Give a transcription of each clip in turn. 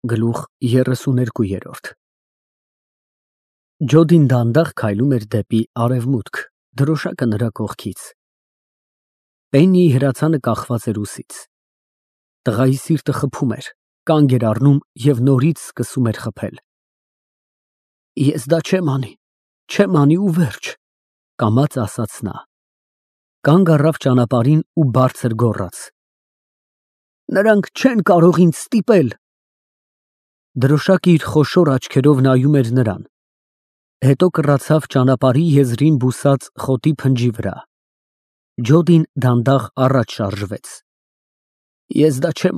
Գլուխ 32 Ջոդին դանդաղ քայլում էր դեպի արևմուտք, դրոշակը նրա կողքից։ Պեննիի հրացանը կախված էր ուսից։ Տղայի սիրտը խփում էր, կանգ էր առնում և նորից սկսում էր խփել։ Ես դա չեմ անի ու վերջ, կամաց ասաց նա։ Կանգ առավ ճանապարհին ու բարձր գոռաց. Նրանք չեն կարող ինձ ստիպել։ Դրոշակը իր խոշոր աչքերով նայում էր նրան, հետո կռացավ ճանապարհի եզրին բուսած խոտի փնջի վրա։ Ջոդին դանդաղ առաջ շարժվեց։ Ես դա չեմ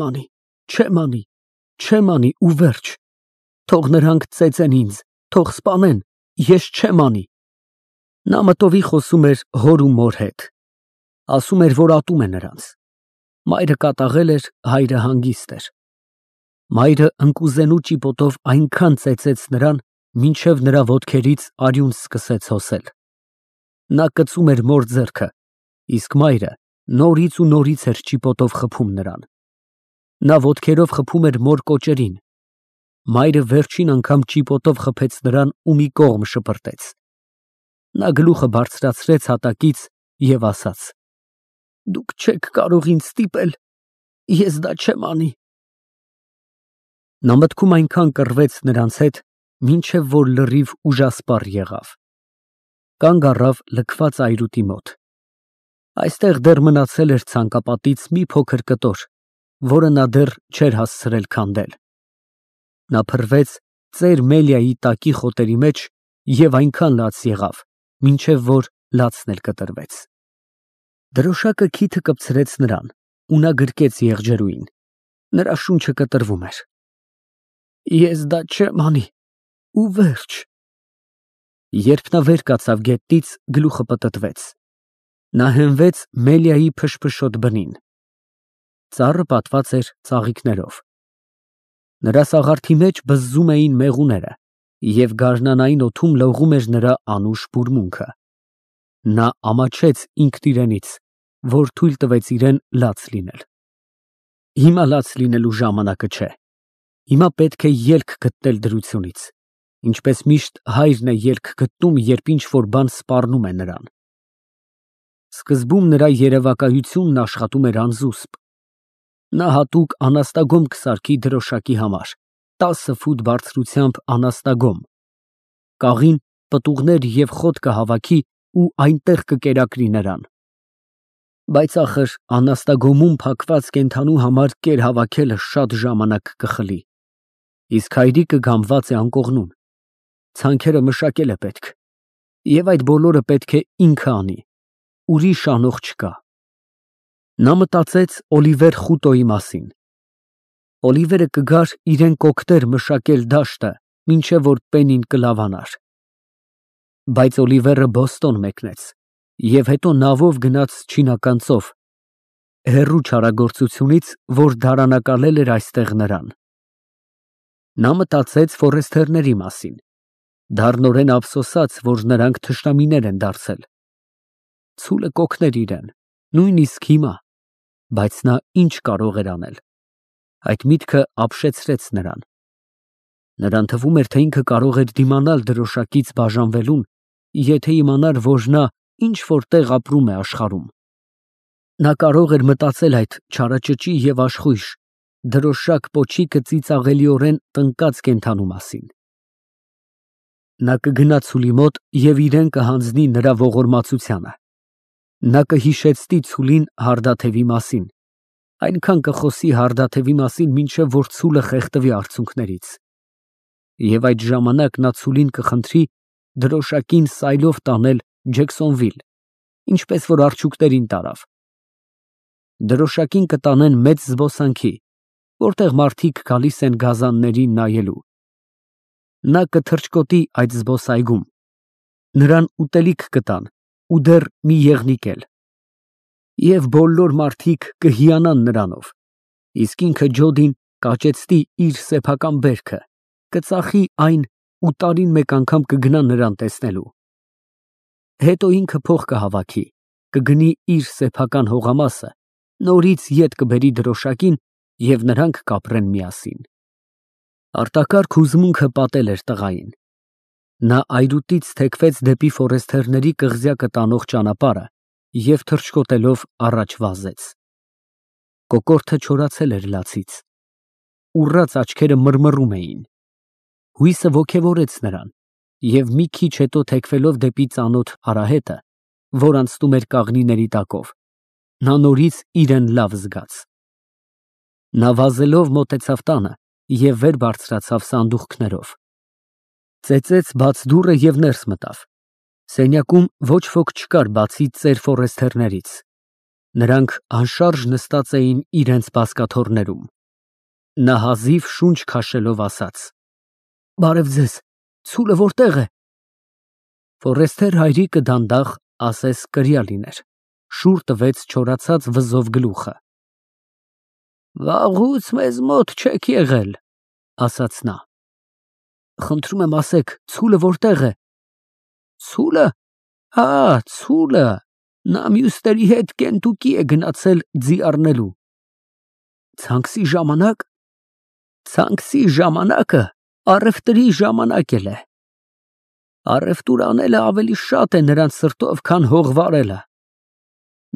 անի ու վերջ։ Թող նրանք ծեծեն ինձ, թող սպանեն, ես չեմ անի։ Նա մտովի խոսում էր հոր ու մոր հետ։ Ասում էր, որ ատում է նրանց։ Մայրը կատաղել էր, հայրը հանգիստ էր։ Մայրը ընկուզենու ճիպոտով այնքան ծեծեց նրան, մինչև նրա ոտքերից արյուն սկսեց հոսել։ Նա կծում էր մոր ձեռքը, իսկ մայրը նորից ու նորից էր ճիպոտով խփում նրան։ Նա ոտքերով խփում էր մոր կոճերին։ Մայրը վերջին անգամ ճիպոտով խփեց նրան ու մի կողմ շպրտեց։ Նա գլուխը բարձրացրեց հատակից և ասաց. Դուք չեք կարող ինձ ստիպել, ես դա չեմ անի։ Նա մտքում այնքան կռվեց նրանց հետ, մինչև որ լրիվ ուժասպառ եղավ։ Կանգ առավ լքված այրուտի մոտ։ Այստեղ դեռ մնացել էր ցանկապատից մի փոքր կտոր, որը նա դեռ չէր հասցրել քանդել։ Նա փռվեց ծեր Մելիայի տակի խոտերի մեջ և այնքան լաց եղավ, մինչև որ լացն էլ կտրվեց։ Դրոշակը քիթը կպցրեց նրան, ու նա գրկեց եղջերուին։ Նրա շունչը կտրվում էր։ Ես դա չեմ անի ու վերջ։ Երբ նա վեր կացավ գետնից, գլուխը պտտվեց։ Նա հենվեց Մելիայի փշփշոտ բնին։ Ծառը պատված էր ծաղիկներով։ Նրա սաղարթի մեջ բզզում էին մեղուները, և գարնանային օդում լողում էր նրա անուշ բուրմունքը։ Նա ամաչեց ինքն իրենից, որ թույլ տվեց իրեն լաց լինել։ Հիմա լաց լինելու ժամանակը չէ։ Հիմա պետք է ելք գտնել դրությունից, ինչպես միշտ հայրն է ելք գտնում, երբ ինչ֊որ բան սպառնում է նրան։ Սկզբում նրա երևակայությունն աշխատում էր անզուսպ։ Նա հատուկ անաստագոմ կսարքի դրոշակի համար, 10 ֆուտ բարձրությամբ անաստագոմ։ Կաղին, պտուղներ և խոտ կհավաքի ու այնտեղ կկերակրի նրան։ Բայց ախր անաստագոմում փակված կենդանու համար կեր հավաքելը շատ ժամանակ կխլի, իսկ հայրիկը գամված է անկողնում։ Ցանքերը մշակել է պետք, և այդ բոլորը պետք է ինքը անի, ուրիշ անող չկա։ Նա մտածեց Օլիվեր Խուտոյի մասին։ Օլիվերը կգար իրեն կօգներ մշակել դաշտը, մինչև որ Պեննին կլավանար։ Բայց Օլիվերը Բոստոն մեկնեց և հետո նավով գնաց Չինական ծով, հեռու չարագործությունից, որ դարանակալել էր այստեղ նրան։ Նա մտածեց ֆորեստերների մասին, դառնորեն ափսոսաց, որ նրանք թշնամիներ են դարձել։ Ցուլը կօգներ իրեն, նույնիսկ հիմա, բայց նա ինչ կարող էր անել։ Այդ միտքը ապշեցրեց նրան։ Նրան թվում էր, թե ինքը կարող էր դիմանալ դրոշակից բաժանվելուն, եթե իմանար, որ նա ինչ֊որ տեղ ապրում է աշխարհում։ Նա կարող էր մտածել այդ չարաճճի և աշխույժ, դրոշակ պոչիկը ծիծաղելիորեն տնկած կենդանու մասին։ Նա կգնա ցուլի մոտ և իրեն կհանձնի նրա ողորմածությանը։ Նա կհիշեցնի ցուլին հարդաթևի մասին, այնքան կխոսի հարդաթևի մասին, մինչև որ ցուլը խեղդվի արցունքներից։ Եվ այդ ժամանակ նա ցուլին կխնդրի դրոշակին սայլով տանել Ջեքսոնվիլ, ինչպես որ արջուկներին տարավ։ Դրոշակին կտանեն մեծ զբոսանքի, որտեղ մարդիկ գալիս են գազաններին նայելու։ Նա կթռչկոտի այդ զբոսայգում, նրան ուտելիք կտան ու դեռ մի եղնիկ էլ։ Եվ բոլոր մարդիկ կհիանան նրանով, իսկ ինքը Ջոդին կաճեցնի իր սեփական բերքը, կծախի այն ու տարին մեկ անգամ կգնա նրան տեսնելու։ Հետո ինքը փող կհավաքի, կգնի իր սեփական հողամասը, նորից ետ կբերի դրոշակին և նրանք կապրեն միասին։ Արտակարգ հուզմունքը պատել էր տղային։ Նա այրուտից թեքվեց դեպի ֆորեստերների կղզյակը տանող ճանապարհը և թռչկոտելով առաջ վազեց։ Կոկորդը չորացել էր լացից։ Ուռած աչքերը մռմռում էին։ Հույսը ոգևորեց նրան, և մի քիչ հետո թեքվելով դեպի ծանոթ արահետը, որ անցնում էր կաղնիների տակով, նա նորից իրեն լավ զգաց։ Նա վազելով մոտեցավ տանը և վեր բարձրացավ սանդուղքներով։ Ծեծեց բաց դուռը և ներս մտավ։ Սենյակում ոչ ոք չկար բացի ծեր ֆորեստերներից։ Նրանք անշարժ նստած էին իրենց բազկաթոռներում։ Նա հազիվ շունչ քաշելով ասաց. «Բարև ձեզ, ցուլը որտե՞ղ է»։ Ֆորեստեր հայրիկը դանդաղ, ասես կրիա լիներ, շուռ տվեց չորացած վզով գլուխը։ «Վաղուց մեզ մոտ չեք եղել», ասաց նա։ «Խնդրում եմ ասեք, ցուլը որտե՞ղ է»։ «Ցուլը, հա, ցուլը, նա մյուսների հետ Կենտուկի է գնացել ձի առնելու»։ «Ցանքսի ժամանակ»։ «Ցանքսի ժամանակը առևտրի ժամանակ է։ Առևտուր անելը ավելի շատ է նրանց սրտով, քան հող վարելը։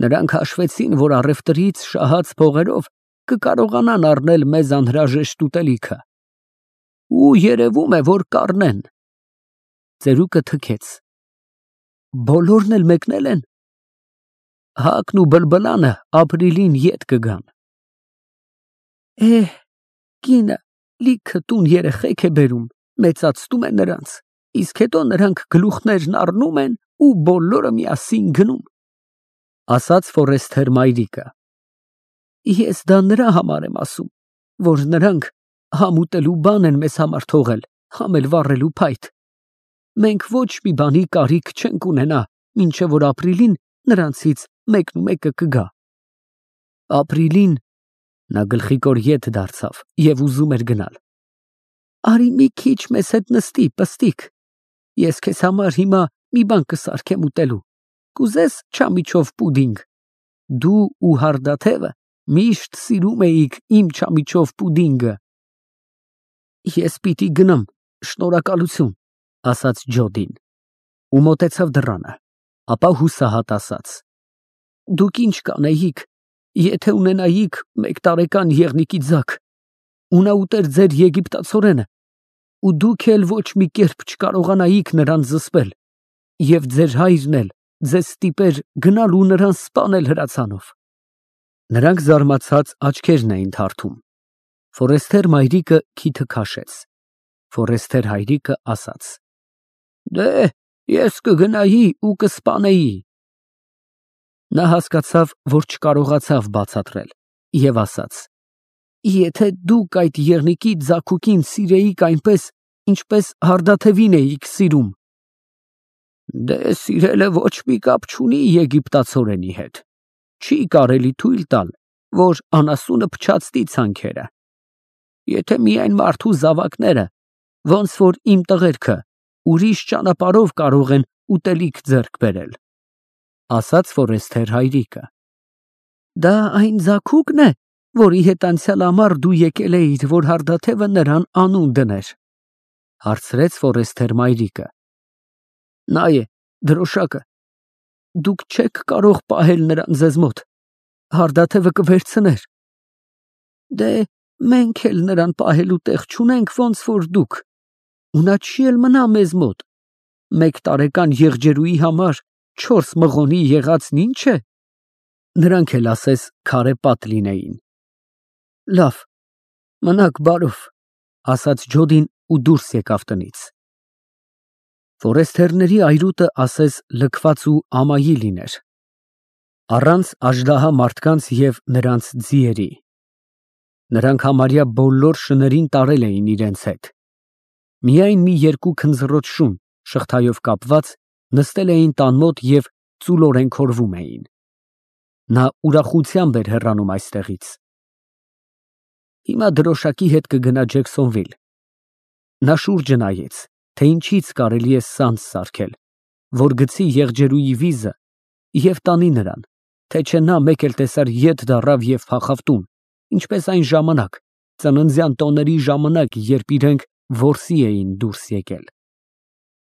Նրանք հաշվեցին, որ առևտրից շահած փողերով կկարողանան առնել մեզ անհրաժեշտ ուտելիքը։ Ու երևում է, որ կառնեն»։ Ծերուկը թքեց։ «Բոլորն էլ մեկնել են»։ «Հակն ու բլբլանը ապրիլին ետ կգան»։ Կինը լիքը տուն երեխեք է բերում, մեծացնում է նրանց, իսկ հետո նրանք գլուխներն առնում են ու բոլորը միասին գնում, ասաց ֆորեստեր մայրիկը։ Ես դա նրա համար եմ ասում, որ նրանք համ ուտելու բան են մեզ համար թողել, համ էլ վառելու փայտ։ Մենք ոչ մի բանի կարիք չենք ունենա, մինչև որ ապրիլին նրանցից մեկը կգա։ Ապրիլին նա գլխիկոր ետ դարձավ և ուզում էր գնալ։ Արի մի քիչ մեզ հետ նստի, պստիկ։ Ես քեզ համար հիմա մի բան կսարքեմ ուտելու։ Կուզես չամիչով պուդինգ։ Դու ու Հարդաթևը միշտ սիրում էիք իմ չամիչով պուդինգը։ Ես պիտի գնամ, շնորհակալություն, ասաց Ջոդին ու մոտեցավ դռանը, ապա հուսահատ ասաց. Դուք ինչ կանեիք, եթե ունենայիք 1 տարեկան եղնիկի ձակ, ու նա ուտեր ձեր եգիպտացորենը, ու դուք էլ ոչ մի կերպ չկարողանայիք նրան զսպել, և ձեր հայրն էլ ձեզ ստիպեր գնալ ու նրան սպանել հրացանով։ Նրանք զարմացած աչքերն էին թարթում։ Ֆորեստեր մայրիկը քիթը քաշեց։ Ֆորեստեր հայրիկը ասաց. Դե, ես կգնայի ու կսպանեի։ Նա հասկացավ, որ չկարողացավ բացատրել, և ասաց. Եթե դուք այդ եղնիկի ձագուկին սիրեիք այնպես, ինչպես Հարդաթևին էիք սիրում։ Դե, սիրելը ոչ մի կապ չունի եգիպտացորենի հետ։ Չի կարելի թույլ տալ, որ անասունը փչացնի ցանքերը։ Եթե միայն մարդու զավակները, ոնց որ իմ տղերքը, ուրիշ ճանապարհով կարող են ուտելիք ձեռք բերել, ասաց ֆորեստեր հայրիկը։ Դա այն ձագուկն է, որի հետ անցյալ ամառ դու եկել էիր, որ Հարդաթևը նրան անուն դներ, հարցրեց ֆորեստեր մայրիկը։ Նա է, դրոշակը։ Դուք չեք կարող պահել նրան ձեզ մոտ, Հարդաթևը կվերցներ։ Դե, մենք էլ նրան պահելու տեղ չունենք, ոնց որ դուք, ու նա չի էլ մնա մեզ մոտ։ 1 տարեկան եղջերուի համար 4 մղոնի եղածն ինչ է։ Նրանք էլ ասես քարե պատ լինեին։ Լավ, մնաք բարով, ասաց Ջոդին ու դուրս եկավ տնից։ Ֆորեստերների այրուտը ասես լքված ու ամայի լիներ, առանց աժդահա մարդկանց և նրանց ձիերի։ Նրանք համարյա բոլոր շներին տարել էին իրենց հետ։ Միայն մի 2 քնձռոտ շուն, շղթայով կապված, նստել էին տան մոտ և ծուլորեն քորվում էին։ Նա ուրախությամբ էր հեռանում այստեղից։ Հիմա դրոշակի հետ կգնա Ջեքսոնվիլ։ Նա շուրջը նայեց, թե ինչից կարելի է սանձ սարքել, որ գցի եղջերուի վիզը և տանի նրան, թե չէ նա մեկ էլ տեսար ետ դառավ և փախավ տուն, ինչպես այն ժամանակ, ծննդյան տոների ժամանակ, երբ իրենք որսի էին դուրս եկել։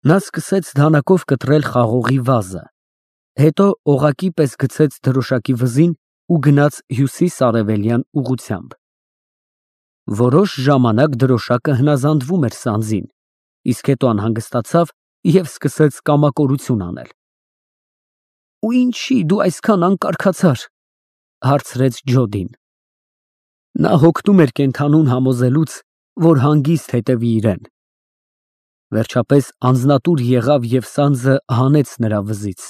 Նա սկսեց դանակով կտրել խաղողի վազը, հետո օղակի պես գցեց դրոշակի վզին ու գնաց հյուսիս֊արևելյան ուղղությամբ։ Որոշ ժամանակ դրոշակը հնազանդվում էր սանձին, իսկ հետո անհանգստացավ և սկսեց կամակորություն անել։ «Ու ինչի դու այսքան անկարգացար» հարցրեց Ջոդին։ Նա հոգնում էր կենդանուն համոզելուց, որ հանգիստ հետևի իրեն։ Վերջապես անձնատուր եղավ և սանձը հանեց նրա վզից։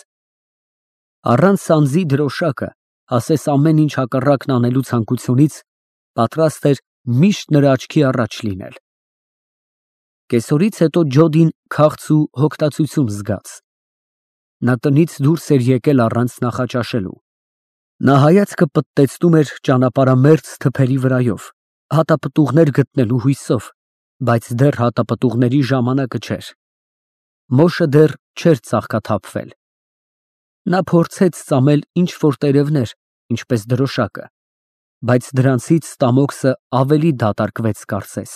Առանց սանձի դրոշակը, ասես ամեն ինչ հակառակն անելու ցանկությունից, պատրաստ էր միշտ նրա աչքի առաջ լինել։ Կեսօրից հետո Ջոդին քաղց ու հոգտացություն զգաց։ Նա տնից դուրս էր եկել առանց նախաճաշելու։ Նա հայացքը պտտեցնում էր ճանապարհամերձ թփերի վրայով, հատապտուղներ գտնելու հույսով, բայց դեռ հատապտուղների ժամանակը չէր։ Մոշը դեռ չէր ծաղկաթափվել։ Նա փորձեց ծամել ինչ-որ տերևներ, ինչպես դրոշակը, բայց դրանցից ստամոքսը ավելի դատարկվեց կարծես։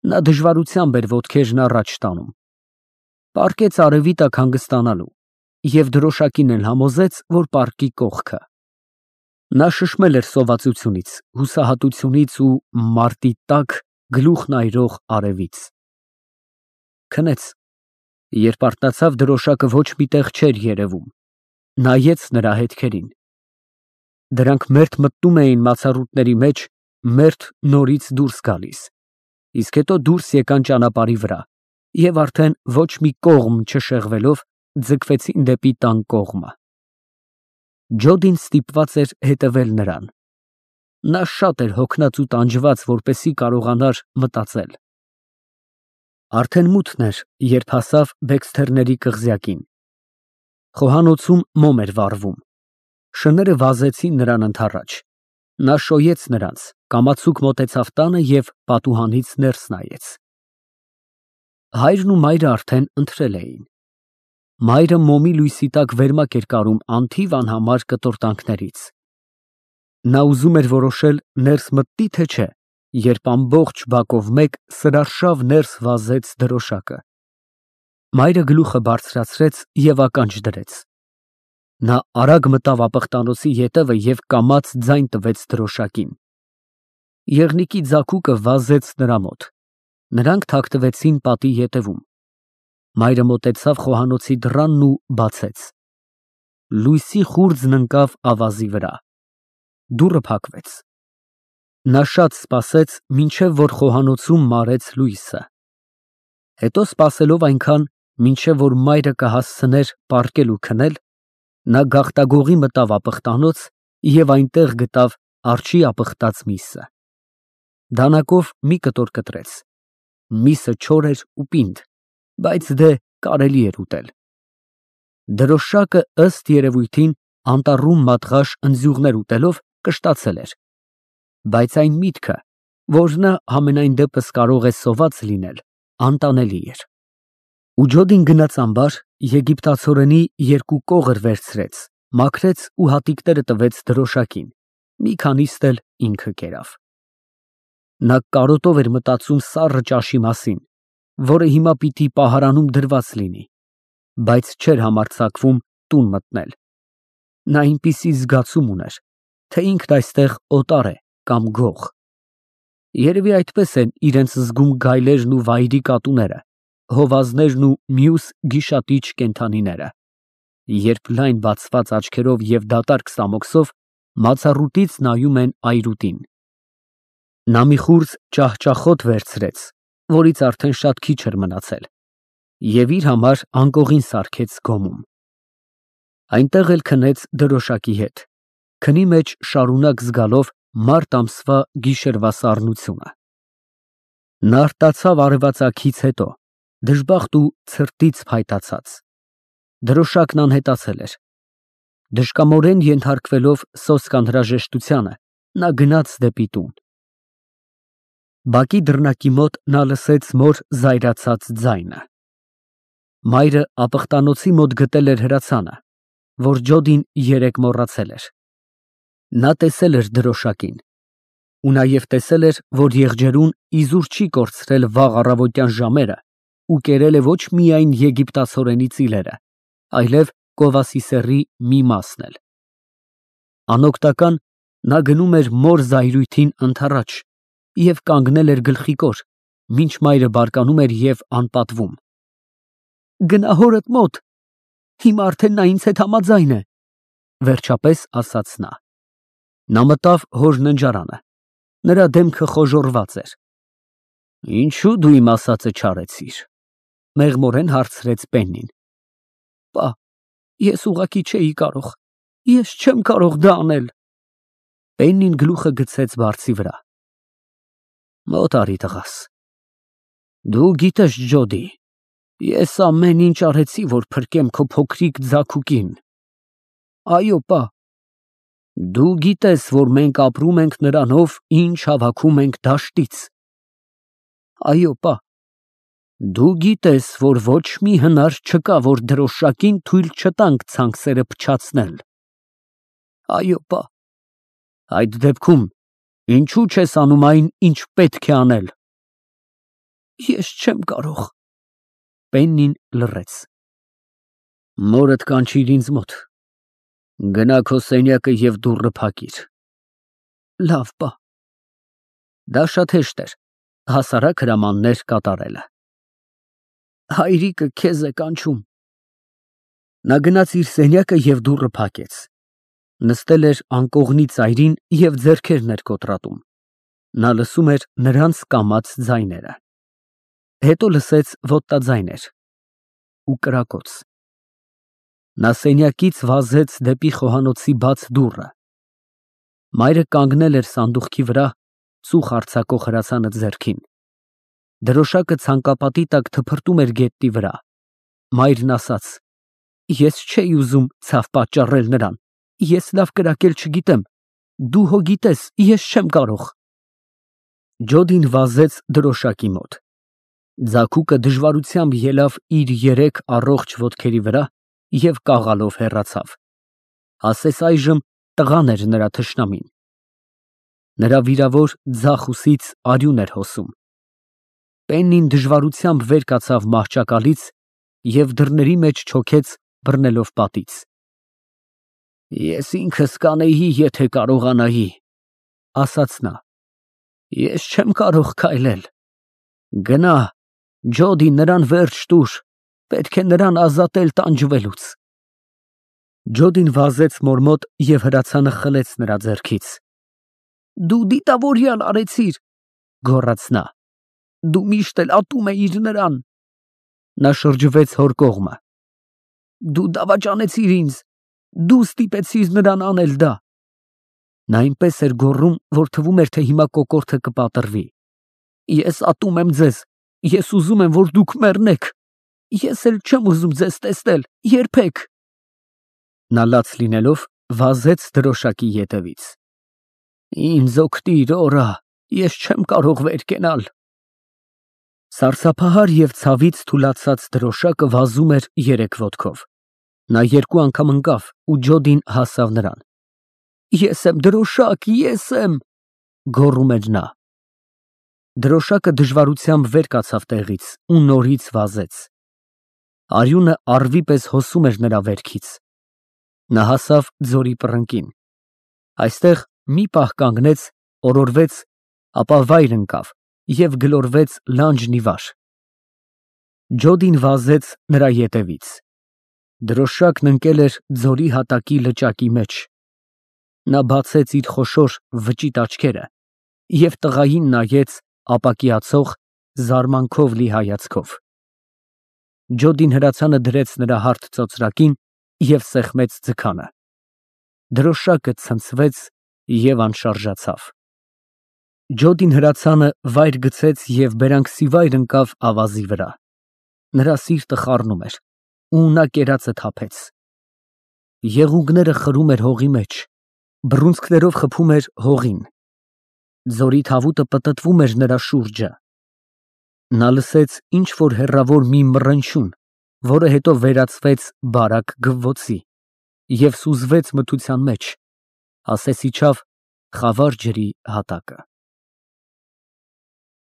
Նա դժվարությամբ էր ոտքերն առաջ տանում։ Պառկեց արևի տակ հանգստանալու և դրոշակին էլ համոզեց, որ պառկի կողքը։ Նա շշմել էր սովածությունից, հուսահատությունից ու մարտի տաք գլուխն այրող արևից։ Քնեց, երբ արթնացավ, դրոշակը ոչ մի տեղ չէր երևում, նայեց նրա հետքերին։ Դրանք մերթ մտնում էին մացառուտների մեջ, մերթ նորից դուրս գալիս, իսկ հետո դուրս եկան ճանապարհի վրա և արդեն ոչ մի կողմ չշեղվելով ձգվեցին դեպի տան կողմը։ Ջոդին ստիպված էր հետևել նրան։ Նա շատ էր հոգնած ու տանջված, որպեսզի կարողանար մտածել։ Արդեն մութն էր, երբ հասավ Բեքսթերների կղզյակին։ Խոհանոցում մոմ էր վառվում։ Շները վազեցին նրան ընդառաջ։ Նա շոյեց նրանց, կամացուկ մոտեցավ տանը և պատուհանից ներս նայեց։ Հայրն ու մայրը արդեն ընթրել էին։ Մայրը մոմի լույսի տակ վերմակ էր կարում անթիվ անհամար կտորտանքներից։ Նա ուզում էր որոշել ներս մտնի, թե չէ, երբ ամբողջ բակով մեկ սրարշավ ներս վազեց դրոշակը։ Մայրը գլուխը բարձրացրեց և ականջ դրեց։ Նա արագ մտավ ապխտանոցի ետևը և կամաց ձայն տվեց դրոշակին։ Եղնիկի ձագուկը վազեց նրա մոտ։ Նրանք թաքնվեցին պատի ետևում։ Մայրը մոտեցավ խոհանոցի դռանն ու բացեց։ Լույսի խուრძն ընկավ ավազի վրա։ Դուռը փակվեց։ Նա շատ սպասեց, մինչև որ խոհանոցում մարեց լույսը։ Հետո սպասելով այնքան, մինչև որ մայրը կհասցներ պառկել ու քնել, նա գաղտագողի մտավ ապխտանոց և այնտեղ գտավ արջի ապխտած միսը։ Դանակով մի կտոր կտրեց։ Միսը չոր էր ու պինդ, բայց դե կարելի էր ուտել։ Դրոշակը ըստ երևույթին անտառում մատղաշ ընձյուղներ ուտելով կշտացել էր, բայց այն միտքը, որ նա համենայն դեպս կարող է սոված լինել, անտանելի էր։ Ու Ջոդին գնաց ամբար, եգիպտացորենի երկու կողր վերցրեց, մաքրեց ու հատիկները տվեց դրոշակին, մի քանիստ էլ ինքը կերավ։ Նա կարոտով էր մտածում սառը ճաշի մասին, որը հիմա պիտի պահարանում դրված լինի, բայց չէր համարձակվում տուն մտնել։ Նա այնպիսի զգացում ուներ, թե ինքն այստեղ օտար է կամ գող։ Երևի այդպես են իրենց զգում գայլերն ու վայրի կատուները, հովազներն ու մյուս գիշատիչ կենդանիները, երբ լայն բացված աչքերով և դատարկ սամոքսով մացառուտից նայում են այրուտին։ Նա մի խուրձ ճահճախոտ վերցրեց, որից արդեն շատ քիչ էր մնացել, և իր համար անկողին սարքեց գոմում։ Այնտեղ էլ քնեց դրոշակի հետ, քնի մեջ շարունակ զգալով մարտ ամսվա գիշերվա սառնությունը։ Նա արտացավ արևածագից հետո, դժբախտ ու ցրտից փայտացած։ Դրոշակն անհետացել էր։ Դժկամորեն ենթարկվելով սոսկ անհրաժեշտությանը, նա գնաց դեպի տուն։ Բակի դռնակի մոտ նա լսեց մոր զայրացած ձայնը։ Մայրը ապխտանոցի մոտ գտել էր հրացանը, որ Ջոդին երեկ մոռացել էր։ Նա տեսել էր դրոշակին։ ու նաև տեսել էր, որ եղջերուն իզուր չի կորցրել վաղ առավոտյան ժամերը ու կերել է ոչ միայն եգիպտացորենի ծիլերը, այլև Կովասիսեռի մի մասն էլ։ Անօգտական նա գնում էր մոր զայրույթին ընդառաջ և կանգնել էր գլխիկոր, մինչ մայրը բարկանում էր և անպատվում։ Գնա հորդ մոտ, հիմա արդեն նա ինձ հետ համաձայն է, վերջապես ասաց նա։ Նա մտավ հոր ննջարանը, նրա դեմքը խոժոռված էր։ Ինչու դու իմ ասածը չարեցիր, մեղմորեն հարցրեց Պեննին։ Պա, ես ուղղակի չէի կարող, ես չեմ կարող դա անել։ Պեննին գլուխը գցեց բարձի վրա։ Մոտ արի տղաս։ Դու գիտես, Ջոդի, ես ամեն ինչ արեցի, որ փրկեմ քո փոքրիկ ձագուկին։ Այո, պա։ Դու գիտես, որ մենք ապրում ենք նրանով, ինչ հավաքում ենք դաշտից։ Այո, պա։ Դու գիտես, որ ոչ մի հնար չկա, որ դրոշակին թույլ չտանք ցանքսերը փչացնել։ Այո, պա։ Այդ դեպքում ինչու չես անում այն, ինչ պետք է անել։ Ես չեմ կարող։ Պեննին լռեց։ Մորդ կանչիր ինձ մոտ։ Գնա քո սենյակը և դուռը փակիր։ Լավ, պա։ Դա շատ հեշտ էր, հասարակ հրամաններ կատարելը։ Հայրիկը քեզ է կանչում։ Նա գնաց իր սենյակը և դուռը փակեց։ Նստել էր անկողնի ծայրին և ձեռքերն էր կոտրատում։ Նա լսում էր նրանց կամաց ձայները։ Հետո լսեց ոտնաձայներ ու կրակոց։ Նա սենյակից վազեց դեպի խոհանոցի բաց դուռը։ Մայրը կանգնել էր սանդուղքի վրա, ծուխ արձակող հրացանը ձեռքին։ Դրոշակը ցանկապատի տակ թփրտում էր գետնի վրա։ Մայրն ասաց. Ես չէի ուզում ցավ պատճառել նրան, ես լավ կրակել չգիտեմ, դու հո գիտես, ես չեմ կարող։ Ջոդին վազեց դրոշակի մոտ։ Ձագուկը դժվարությամբ ելավ իր երեք առողջ ոտքերի վրա և կաղալով հեռացավ։ Ասես այժմ տղան էր նրա թշնամին։ Նրա վիրավոր ձախ ուսից արյուն էր հոսում։ Պեննին դժվարությամբ վեր կացավ մահճակալից և դռների մեջ չոքեց, բռնելով պատից։ Ես ինքս կանեի, եթե կարողանայի, ասաց նա։ Ես չեմ կարող քայլել։ Գնա, Ջոդի, նրան վերջ տուր, պետք է նրան ազատել տանջվելուց։ Ջոդին վազեց մոր մոտ և հրացանը խլեց նրա ձեռքից։ Դու դիտավորյալ արեցիր, գոռաց նա։ Դու միշտ էլ ատում էիր նրան։ Նա շրջվեց հոր կողմը։ Դու դավաճանեցիր ինձ, դու ստիպեցիր նրան անել դա։ Նա այնպես էր գոռում, որ թվում էր, թե հիմա կոկորդը կպատրվի։ Ես ատում եմ ձեզ, ես ուզում եմ, որ դուք մեռնեք։ Ես էլ չեմ ուզում ձեզ տեսնել, երբեք։ Նա լաց լինելով վազեց դրոշակի ետևից։ Ինձ օգնիր, օրա, ես չեմ կարող վեր կենալ։ Սարսափահար և ցավից թուլացած դրոշակը վազում էր երեք ոտքով։ Նա երկու անգամ ընկավ ու Ջոդին հասավ նրան։ Ես եմ դրոշակ, ես եմ, գոռում էր նա։ Դրոշակը դժվարությամբ վեր կացավ տեղից ու նորից վազեց։ Արյունը առվի պես հոսում էր նրա վերքից։ Նա հասավ ձորի պռնկին։ Այստեղ մի պահ կանգնեց, օրորվեց, ապա վայր ընկավ և գլորվեց լանջն ի վար։ Ջոդին վազեց նրա ետևից։ Դրոշակն ընկել էր ձորի հատակի լճակի մեջ։ Նա բացեց իր խոշոր վճիտ աչքերը և տղային նայեց ապակիացող, զարմանքով լի հայացքով։ Ջոդին հրացանը դրեց նրա հարթ ծոծրակին և սեղմեց ձգանը։ Դրոշակը ցնցվեց և անշարժացավ։ Ջոդին հրացանը վայր գցեց և բերանքսիվայր ընկավ ավազի վրա։ Նրա սիրտը խառնում էր, ու նա կերածը թափեց։ Եղունգները խրում էր հողի մեջ, բռունցքներով խփում էր հողին։ Ձորի թավուտը պտտվում էր նրա շուրջը։ Նա լսեց ինչ֊որ հեռավոր մի մռնչյուն, որը հետո վերածվեց բարակ գվվոցի և սուզվեց մթության մեջ, ասես իջավ խավար ջրի հատակը։